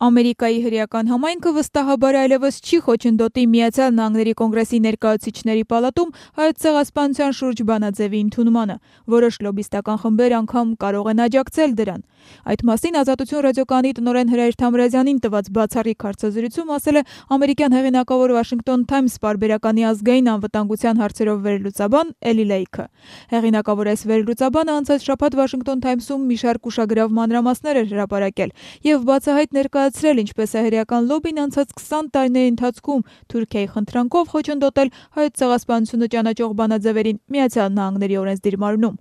Ամերիկայի հրեական համայնքը վստահաբար այլևս չի խոչընդոտի Միացյալ Նահանգների կոնգրեսի ներկայացուցիչների պալատում Հայոց ցեղասպանության շուրջ բանաձևի ընդունմանը։ Որոշ լոբիստական խմբեր անգամ կարող են աջակցել դրան։ Այդ մասին Ազատություն ռադիոկայանի տնօրեն Հրայր Թամրազյանին տված բացառիկ հարցազրույցում ասել է ամերիկյան հեղինակավոր Washington Times պարբերականի ազգային անվտանգության հարցերով վերլուծաբան Էլի Լեյքը։ Հեղինակավոր այս վերլուծաբանը անցած շաբաթ Washington Times-ում մի շարք ուշագրավ մանրամասներ էր հրապարակել եւ բացահայտ ներկայացրել ինչպես է հրեական լոբին անցած 20 տարիների ընթացքում Թուրքիայի խնդրանքով խոչընդոտել Հայոց ցեղասպանությունը ճանաչող բանաձևերին Միացյալ Նահանգների օրենսդիր մարմնում։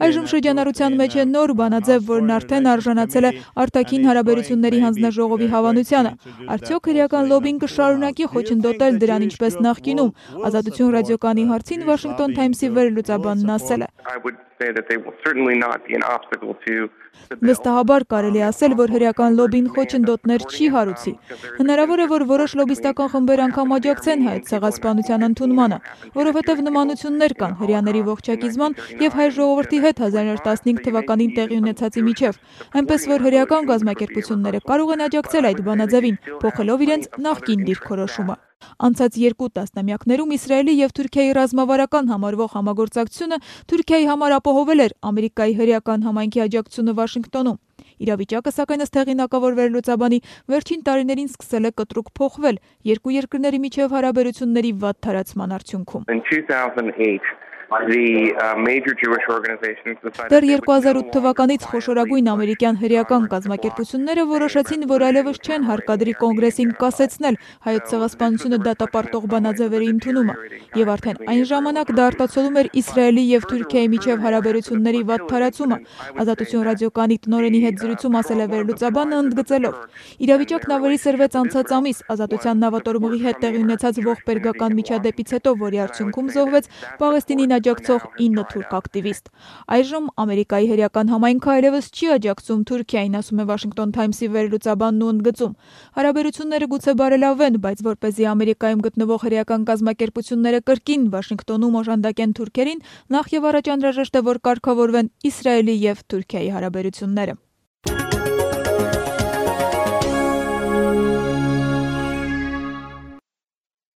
Այժմ շրջանառության մեջ է նոր բանաձև, որն արդեն արժանացել է արտաքին հարաբերությունների հանձնաժողովի հավանությանը։ Արդյոք հրեական լոբին կշարունակի խոչընդոտել դրան ինչպես նախկինում։ Ազատություն ռադիոկայանի հարցին Washington Times-ի վերլուծաբանն ասել է. Վստահաբար կարելի է ասել, որ հրեական լոբին խոչընդոտներ չի հարուցի։ Հնարավոր է, որ որոշ լոբիստական խմբեր անգամ աջակցեն Հայոց ցեղասպանության ընդունմանը, որովհետև նմանություններ կան հրեաների ողջակիզման եւ հայ ժողովրդի հետ 1915 թվականին տեղի ունեցածի միջև, այնպես որ հրեական կազմակերպությունները կարող են աջակցել այդ բանաձևին, փոխելով իրենց նախկին դիրքորոշումը։ Անցած 2 տասնամյակներում Իսրայելի եւ Թուրքիայի ռազմավարական համարվող համագործակցությունը Թուրքիայի համար ապահովել էր Ամերիկայի հրեական համայնքի աջակցությունը Վաշինգտոնում։ Իրավիճակը սակայն ըստ հեղինակավոր վերլուծաբանի վերջին տարիներին սկսել է կտրուկ փոխվել երկու երկրների միջև հարաբերությունների վատ թարացման արդյունքում։ Դեռ 2008 թվականից խոշորագույն ամերիկյան հրեական կազմակերպությունները որոշեցին, որ այլևս չեն հարկադրի կոնգրեսին կասեցնել Հայոց ցեղասպանությունը դատապարտող բանաձևերի ընդունումը, եւ արդեն այն ժամանակ դա արտացոլում էր Իսրայելի եւ Թուրքիայի միջև հարաբերությունների վատ թարացումը։ Ազատություն ռադիոկայանի տնօրենի հետ զրույցում ասել է վերլուծաբանը ընդգծելով. Իրավիճակն ավելի սրվեց անցած ամիս Ազատության նավատորմուղի հետ տեղի ունեցած ողբերգական միջադեպից հետո, որի արդյունքում զոհվեց Պաղեստինին աջակցող 9 թուրք ակտիվիստ։ Այժմ Ամերիկայի հրեական համայնքը այլևս չի աջակցում Թուրքիային, ասում է Washington Times-ի վերլուծաբանն ու ընդգծում. հարաբերությունները գուցե բարելավվեն, բայց որպեսզի Ամերիկայում գտնվող հրեական կազմակերպությունները կրկին Վաշինգտոնում օժանդակեն թուրքերին, նախ եւ առաջ անհրաժեշտ է, որ կարգավորվեն Իսրայելի եւ Թուրքիայի հարաբերությունները։